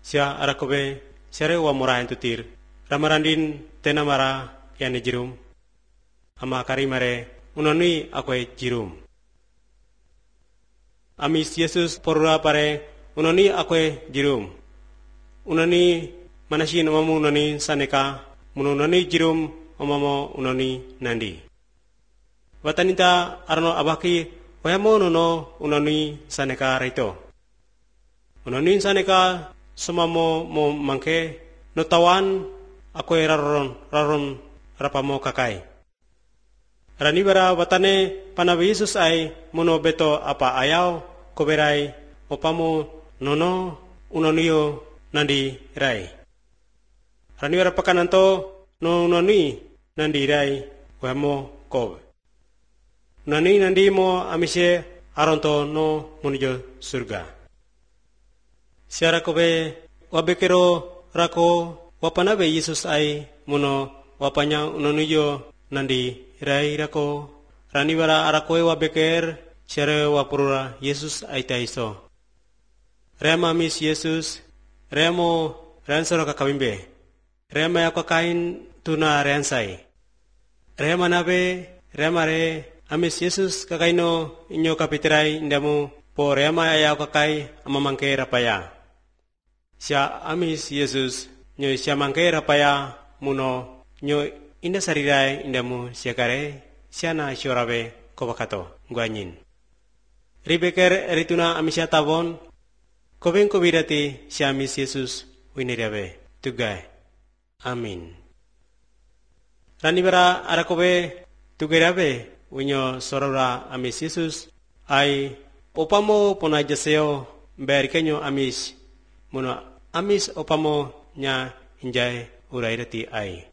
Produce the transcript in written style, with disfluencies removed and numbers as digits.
Sia arakobe sere wa mora entutir. Ramarandin tenamara yani jirum. Ama karimare unoni akwe jirum. Amis Yesus porura pare unoni akwe jirum. Unoni manasin omamu unoni saneka mununoni jirum omamo unoni nandi. Watanita arno abaki wayamo nuno unoni saneka rito. Unoni saneka sumamo mo mangke notawan ako'y raron rapamo kakay. Ranibara watane panabi Jesus ay muno beto apa ayaw koberay opamo nono unoniyo nandi ray. Ranibara pakananto no unoni nandi ray wamo kobe. Unoni nandi mo amise aronto no munijo surga. Siara kobe wabekero rako wapanabe Yesus ay muno wapanya unoniyo nandi rai rako ranibara arakoe wabeker siara wapurura Yesus ay taiso. Rema mis Yesus remo ransoro kakabimbe. Rema yakakain tuna ransay. Rema nabe remare amis Yesus kakaino inyo kapitiray indamu po rema ayaw kakay amamangke rapaya. Siya amis Yesus nyo siya mangke rapaya muno nyo inda sariray indamu siya kare siya na siorabe kobakato guanyin. Ribeker erituna amis siya tabon kobeng kobirati siya amis Yesus winirabe tugay. Amin. Ranibara arakobe tugirabe winyo sorora amis Yesus ay opamo ponajaseo berkenyo amis muno amis opamo nya hinjay urairati ay.